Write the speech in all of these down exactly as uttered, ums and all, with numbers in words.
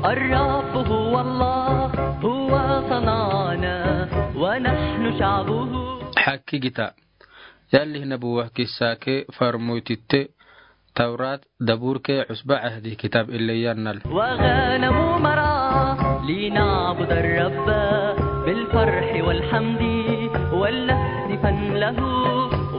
الرب هو الله، هو صنعنا ونحن شعبه. Haki gita. Yalli nabuwa kissa ke farmoy titte, Tawrat, Dabur ke, Usba Ahdi kitab ille yannal. وغنم مرعى لنعبد الرب بالفرح والحمد ولنهتفن له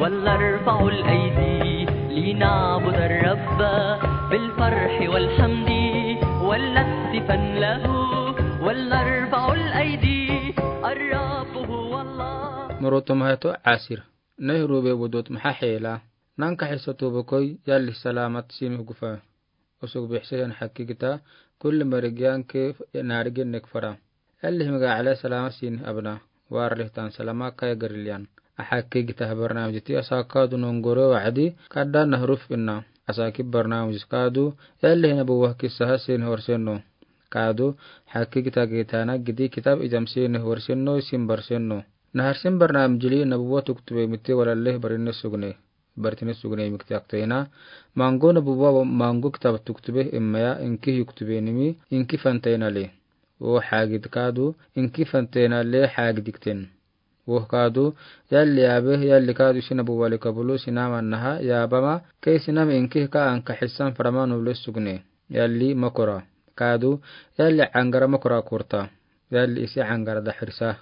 ولنرفع الأيدي لنعبد الرب بالفرح والحمد ولنهتفن له ولنرفع الأيدي. الرب هو الله. Moroto mahato asir. Neh rube bodot maha hela. Nanka hiso tubo koi yalli salamat simi gufa. Usug bixse yan haki gita, kulli marigiyan ke narigen nek fara. Yalli himiga ale salamat sini abna. War lihtan salama kaya garilyan. A haki gita ha barnamij ti asa kadu nongore wa'adi, kada nahruf inna. Asa ki barnamij kadu, yalli hina buwa kissa ha sini horsenno. Kadu, haki gita gitana gidi kitab ijam sini horsenno, sim barsenno. Nahar sim barnamij li nabuwa tuktube miti walalle barinne sugne. Bartine sugne mikti akteena. Mango nabuwa mango kitab tuktube immaya inki yuktube nimi inki fanteena le. O hagid kadu inki fanteena le hagid ikten. O kadu yalli abe yalli kadu sinabuwa le kabulu sinama naha yabama ke sinam inki ka anka hissan farama nule sugne. Yalli makora. Kadu yalli angara makora kurta. Yalli isi angara dahrisa.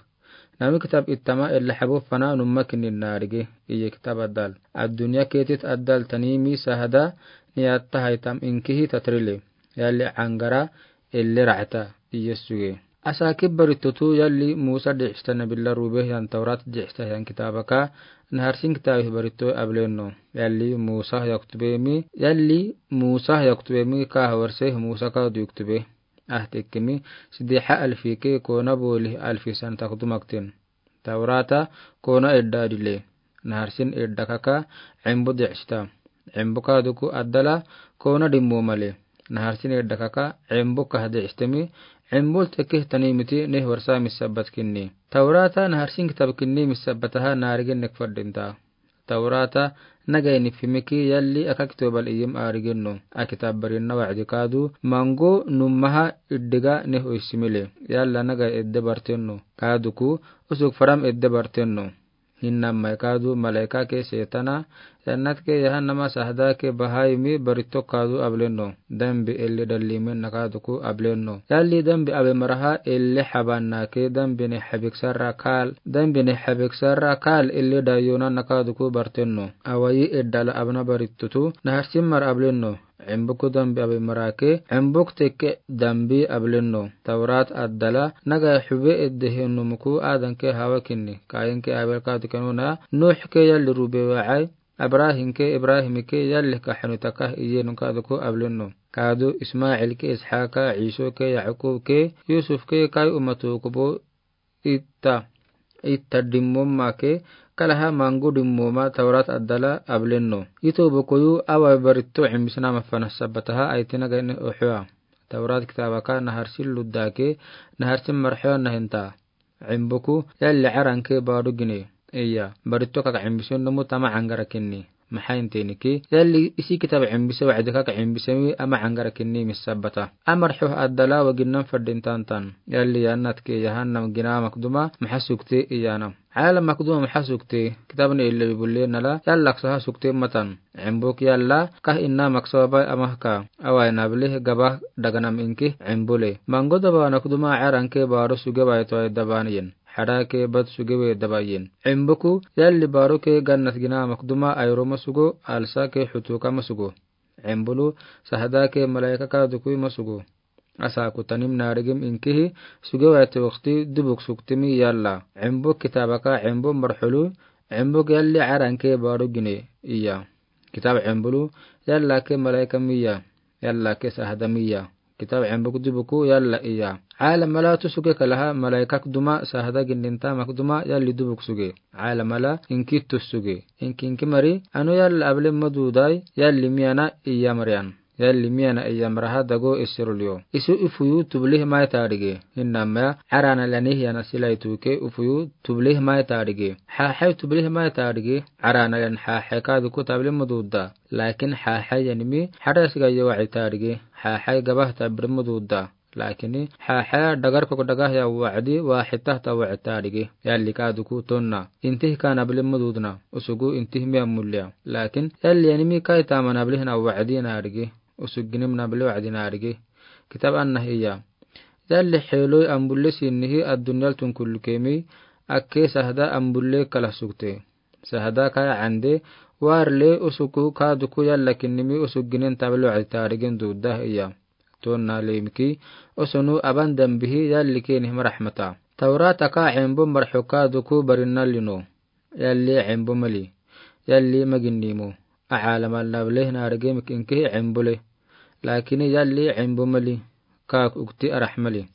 Nami kitab ittama ella habo fana numma kinin narige, iye kitab addal. Addunya ketit addal tanimi sahada ni atta haytam inkihi tatrile. Yalli angara elle ra'ta, iye suge. Asa kibbaritotu yalli Musa di'sta nabilla rube yan Tawrat di'sta yan kitabaka, nahar sin kitabih barito ablenno. Yalli Musa yaktubemi, yalli Musa yaktubemi ka hawarse Musa ka du yuktube. Ah tekkemi, sidiha alfi ke kona boli alfi san takdumaktin. Tawrata kona edda dile. Nahar sin edda kaka, embo di'sta. Embo kaduku addala kona dimmo male. Nahar sin edda kaka, embo kah di'stemi, embo tekkeh tanimiti neh warsa misabbat kinni. Tawrata nahar sin kitab kinni misabbataha narigen nek faddinta. Tawrata nagayni fimiki yalli aka kitobal iyim arigenno. A kitab barinna wa'di kadu, mango nummaha iddiga neh oisimile. Yalla nagay edde bartenno. Kaduku, usug faram edde bartenno. Hinnammai kadu, malaika ke setana, yannat ke yahannama sahda ke bahayimi barito kadu ablenno. Dambi elli dallimen nakaduku ablenno. Yalli dambi abe maraha elli habanna ke dambi ne habik sarra kal, dambi ne habik sarra kal elli dayona nakaduku bartenno. Awayi eddala abna baritutu, nahar simmar ablenno. Embuku dambi abe marake, embuk tekke dambi ablenno. Tawrat addala, naga hube edde henumuku adanke hawakinni. Kayinke abel kadu kenuna, Nuh ke yalli rube wa'ai, Abrahinke, Ibrahimike yalli kahanu takah iye nunkaduku ablenno. Kadu Ismailke, Ishaka, Isoke, Yakubuke, Yusufke, kai umatukubo itta, itta dimmomake, kalaha mangu dimmoma Tawrat addala ablenno. Ito bokoyu awa baritto imbisnama fana sabbataha aitinaga ini uhua. Tawrat kitabaka nahar sin luddake, nahar sin marhua nahinta. Embuku, yalli aranke baru gine. Iya, baritto kaka embisen nomu tama angara kinni. Maha intiniki, yalli isi kitab embise wa'di kaka embisemi ama angara kinni misabbata. Amar huh addala waginnan faddin tantan. Yalli yannatke yahannam gina makduma, maha sukte iyanam. Ala makduma maha sukte, kitabne ille bibulle nala, yalla ksaha sukte matan. Embuk yalla, kah inna maksawa bai amahka. Awai nablih gabah daganam inki, embule. Mango daba nakduma aranke baru suge bai toai daban yin. Hada ke bad suge we daba yin. Embuku, yalli baru ke gannat gina makduma airoma sugo, alsa ke hutuka masugo. Embulu, sahda ke malaika kadukui masugo. Asa kutanim narigim inkihi, suge wati wakti dubuk suktimi yalla. Embuk kitabaka embu marhulu, embuk yalli aranke baru gine, iya. Kitab embulu, yalla ke malaika miya, yalla ke sahda miya. Kitab embuk dubuku yalla iya. Alamala tu suge kalaha malaikak duma sahda gindinta makduma yalli dubuk suge. Alamala inki tu suge. Inki inki mari, anu yalla ablen madudai, yalli miyana iya marian. Yalli miyana iya maraha dago isirulyo. Isu ufuyu tublih mai tadige. Innama arana lani hiyana silai tuke ufuyu tublih mai tadige. Hahai tublih mai tadige. Arana lan hahai kaduku tabli maduda. Lakin hahai yanimi hada siga yawa itadige. Hahai gabah tabri maduda. Lakin, haha dagar kok dagahyan wacdi, waxid tahta wacdi ta adigi. Yalli kaaduku tonna. Intih ka nable mududna. Usugu intih mi ammulia. Lakin, yalli animi kai tama nable hina wacdi na adigi. Usug ginim nable wacdi na adigi. Kitab anna hiya. Yalli xeeloi ambulle sinnihi addunyal tun kullu kemi, akke sahda ambulle kala sugte. Sahda kaya ande, warle usuku kaaduku yalla kinnimi usuk ginen tablo adi taarigen duudda iya. Tonna lemiki, usunu aban dambihi yalli keni hima rahmata. Tawrata ka embo marxu kaaduku barinna lino. Yalli embo mali. Yalli maginnimo. Aalamal nable naarige mik inkihi embole. Lakini yalli embo mali. Kaak ukti arah mali.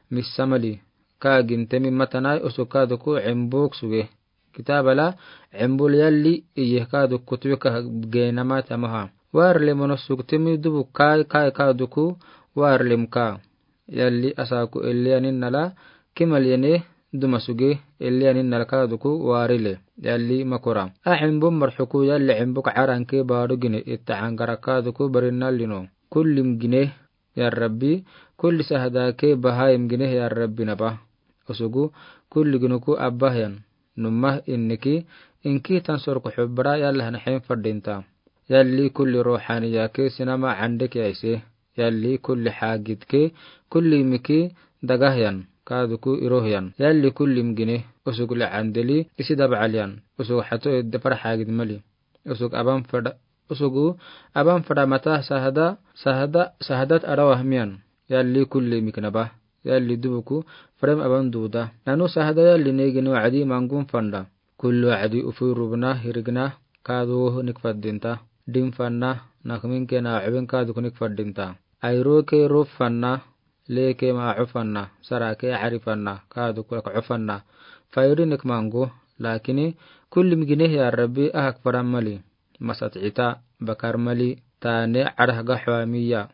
Missa mali. Kaa gintemi matanai usuk kaaduku embok suge. Kitabala embol yalli iye kaaduku tuwe ka geenama tamaha. Warle mono suktemi dubu kai kai kaaduku warlem ka. Yalli asaku elli anin nala kimal yene duma suge elli anin nala kaaduku warile. Yalli makora. A embo marxuku yalli embo ka aranke baadu gine itta angara kaaduku barinna lino. Kullim gine ya Rabbi, kulli sahda ke bahayim gine ya Rabbi naba. Usugu, kulli ginuku abbahyan. Numah inniki, inki tan sorku xubbara yalla hana xen fadinta. Yalli kulli ruhaniya ke sinama andek yaise. Yalli kulli xagit ke, kulli miki dagahyan, kaaduku irohyan. Yalli kulli mgine, usug le andeli, isi dabcalyan. Usug xato edde far xagit mali. Usug aban fada, usugu aban fada mata sahda, sahda, sahdat arawah miyan. Yalli kulli miknaba. Yalli dubuku frem aban duuda. Nanu sahda yalli negin wacdi mangun fanda. Kullu wacdi ufui rubna hirigna kaadu wohu nik fadinta. Dim fanna, nakmin kena wacbin kaaduku nik fadinta. Ayro ke ruf fanna, leke ma cufanna, sarake carifanna, kaaduku lak cufanna. Fayri nik mangu, lakini kulli mgine ya Rabbi ahak faran mali. Masat cita, bakar mali, tane carah gahwa miya.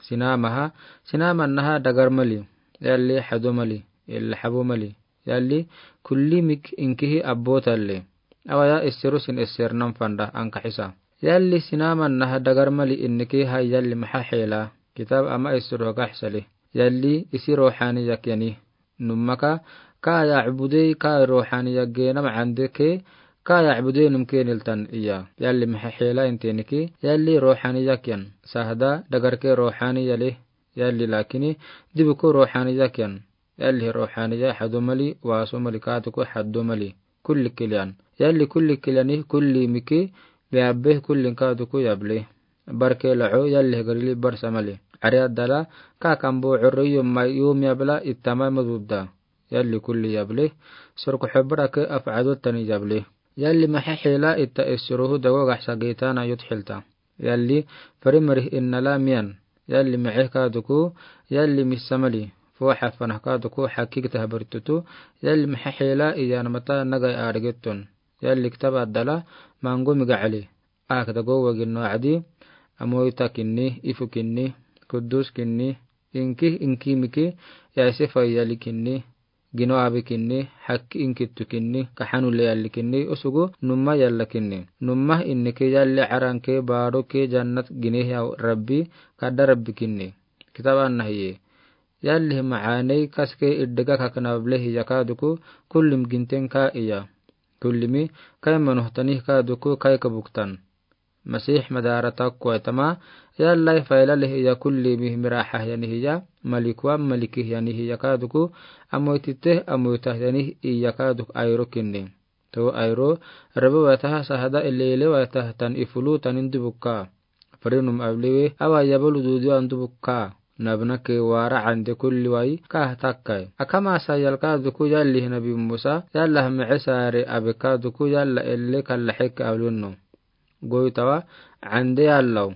Sinamaha, sinamannaha dagar mali, yalli xado mali, illa xabo mali. Yalli kulli mik inkihi abbo talle. Awaya issiru sin issirnan fanda ankaxisa. Yalli sinamannaha dagar mali inniki ha yalli maxa xeela. Kitab ama issiru gaxsali. Yalli isi ruhaniyak yani. Nummaka, ka yacbudey ka ruhaniyak geenam andeke, ka yacbudey num keniltan iya. Yalli maxa xeela inteniki, yalli ruhaniyak yan. Sahda dagarke ruhaniyale. Yalli lakini, dibuku ruhaniyak yan. Yalli ruhaniya xado mali, waso mali kaaduku xado mali. Kulli kilyan. Yalli kulli kilyani, kulli miki, yabbe kulli kaaduku yable. Barke laco, yalli garili barsa mali. Cari adala, ka kambo curri yom mai yom yabla ittama madudda. Yalli kulli yable. Sorku xubbara ke afcado tani yable. Yalli maxa xeela itta issiruhu dago gaxsa geetana yut xilta. Yalli fari marih innala miyan. Yalli maxe kaaduku, yalli missa mali. Foo xafanah kaaduku xakik tahbaritutu, yalli maxa xeela iyan mata nagay aadigeton. Yalli kitab adala, mangu miga cali. Ak dago wagin no cadi, amoyta kinni, ifu kinni, kudus kinni, inki, inki miki, yaise fayali kinni, gino abi kinni, xakki inkittu kinni, kaxanu le yalli kinni, usugu numma yalla kinni. Numma inniki yalli caranke baaroke jannat gine ya Rabbi, kadda Rabbi kinni. Kitab anna hiye. Yalli macaaney kaske iddiga kaknable hiya kaaduku, kullim ginten ka iya. Kullimi, kai manuhtanih kaaduku, kai kabuktan. Masih madaara takkuwaitama, yallai faylali hiya kullimi miraxahyani hiya, malikuwa malikihyani hiya kaaduku, amoytite amoytahyani iya kaaduk ayro kinni. To ayro, rebe waytaha sahda elele waytah tan ifulu tanin dubukka. Farinum abliwe, awa yabalu dudu an dubukka. Nabnake wara ande kulli wayi, ka takkai. Akama sayal kaaduku yalli nabi Musa, yalla hame esare abe kaaduku yalla elle kalla xekke ablunno. Goytawa, ande yallaw,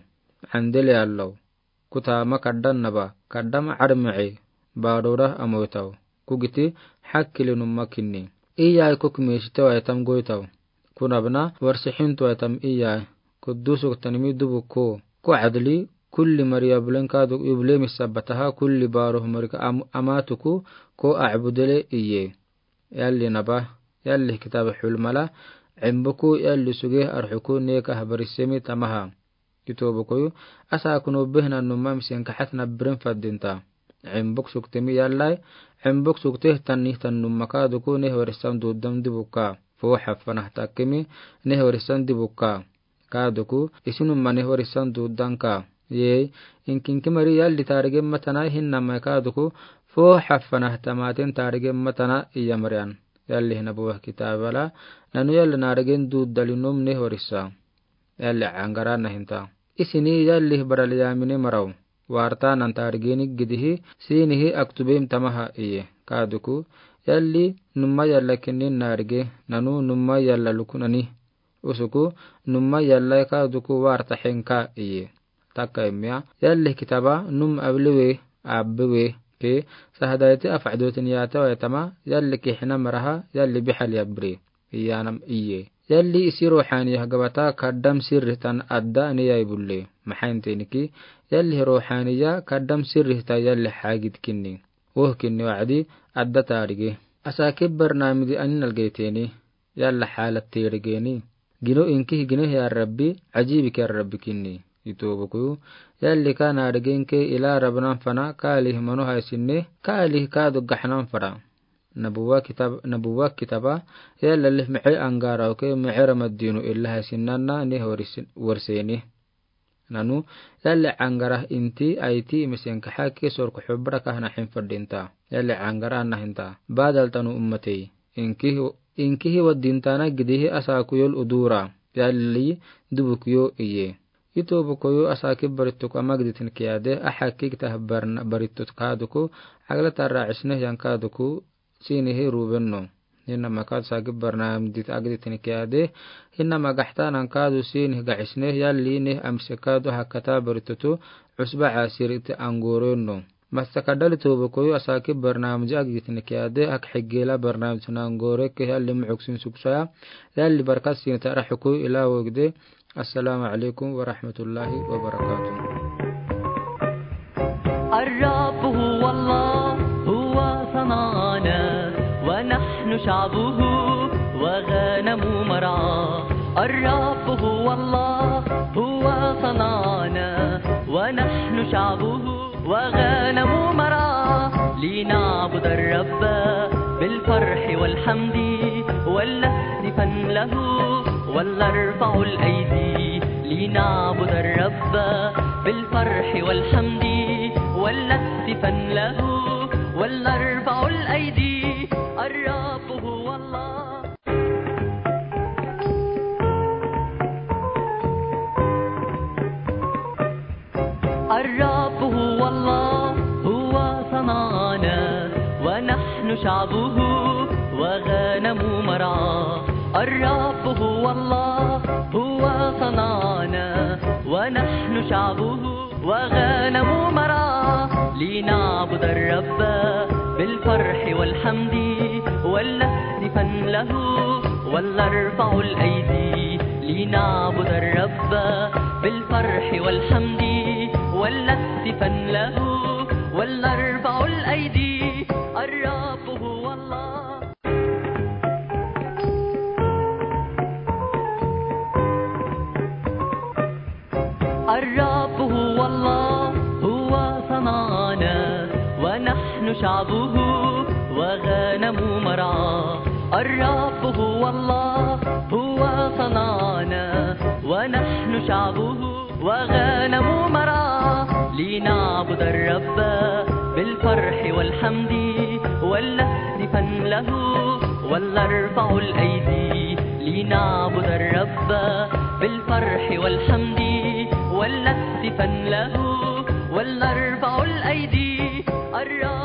ande le yallaw. Kutama kaddan naba, kaddam carmece, baadora amoytaw. Kugiti, xakkili numma kinni. Iyay kuk meeshite waytam goytaw. Kunabna, warsixintu waytam iyay. Kudusuk tanimi dubu ko. Ko cadli, kulli mari yablen kaaduk yuble misabataha, kulli baaroh marika am-, amatuku, ko acbudele iye. Yalli naba, yalli kitab xulmala, cimbuku yalli suge arxuku neka habarisemi tamaha. Kitobukuyu, asa kuno behna numma misenka xatna birin fadinta. Embok sukte mi yallai, embok sukte tan nih tan numma kaaduku nih warisan dudam dibukka. Fo hafana takemi nih warisan dibukka. Kaaduku, isin numma nih warisan dudanka. Yei, inkinki mari yalli taarige matana hinna mai kaaduku, fo hafana tamatin taarige matana iya marian. Yalli hina buwa kitabala, nanu yalli naarigen dudali num nih warisa. Yalli angara nahinta. Isini yalli barali yamini marau. Warta nan taarigeni gidihi, sinihi aktubem tamaha iye. Kaaduku, yalli numma yalla kinin naarige, nanu numma yalla lukunani. Usuku, numma yalla kaaduku warta henka iye. Takka immiya, yalli kitaba, num abliwe, abbiwe, ke, sahadaiti afadoti niyata waitama, yalli kihina maraha, yalli bihali abri. Iyanam iye. Yalli isi ruhaniya gabata kaddam sirri tan adda niya ibulle. Mahaintiniki, yalli ruhaniya kaddam sirri tan yalli hagid kinni. Woh kinni wa'adi adda taarige. Asakib barnamidi anin algeyteni. Yalla halat tirigeni. Gino inkihi gino ya Rabbi, ajibik ya Rabbi kinni. Itobuku, yalli ka naarigenke ila Rabnan fana, kaalih manu haisinne, kaalih kaadu gahnan fara. Nabuwa kitab, nabuwa kitaba, yalla lih me'e angara oke, me'e Ramadinu illa haisinanna nih warisin, warseni. Nanu, yalli angara inti, aiti, misenka haki, sorku hubra kahna hin fadinta. Yalli angara nahinta. Badal tanu ummatei. Inkihi, inkihi wadintana gidihi asa kuyol udura. Yalli dubu kuyo iye. Itobukoyo asakib barituk ama giditin kiyade, ahakik tah barna barituk kaaduku, agla tara isneh yan kaaduku, sinihi rubenno. Hinna ma kaadu sakib barnamidit agditin kiyade, hinna ma gahtanan kaadu sinihi gahisneh yalli nih amse kaadu hakata baritutu, usba asiriti angorenno. Masa kadali tobukoyo asakib barnamidi agditin kiyade, ak higela barnamidit nangoreke yalli mu'uk sin suksaya, yalli barkat sin tarahuku ila wogde, Assalamu alaikum wa rahmatullahi wa barakatuh. الرب هو الله، هو صنعنا، ونحن شعبه وغنم مرعاه. الرب هو الله، هو صنعنا، ونحن شعبه وغنم مرعاه، لنعبد الرب بالفرح والحمد، ولنهتفن له، ولنرفع الأيدي، لنعبد الرب بالفرح والحمد، ولنهتفن له، ولنرفع الأيدي، الرب هو الله. الرب هو الله، هو صنعنا، ونحن شعبه وغنم مرعاه. الرب هو الله، هو صنعنا، ونحن شعبه وغنم مرعاه. لنعبد الرب بالفرح والحمد، ولنهتفن له، ولنرفع الأيدي. لنعبد الرب بالفرح والحمد، ولنهتفن له، ولنرفع الأيدي. الرب هو الله. الرب هو الله، هو صنعنا، ونحن شعبه وغنم مرعاه. الرب هو الله، هو صنعنا، ونحن شعبه وغنم مرعاه. لنعبد الرب بالفرح والحمد، ولنهتفن له، ولنرفع الأيدي. لنعبد الرب بالفرح والحمد، ولنهتفن له، ولنرفع الأيدي. الرب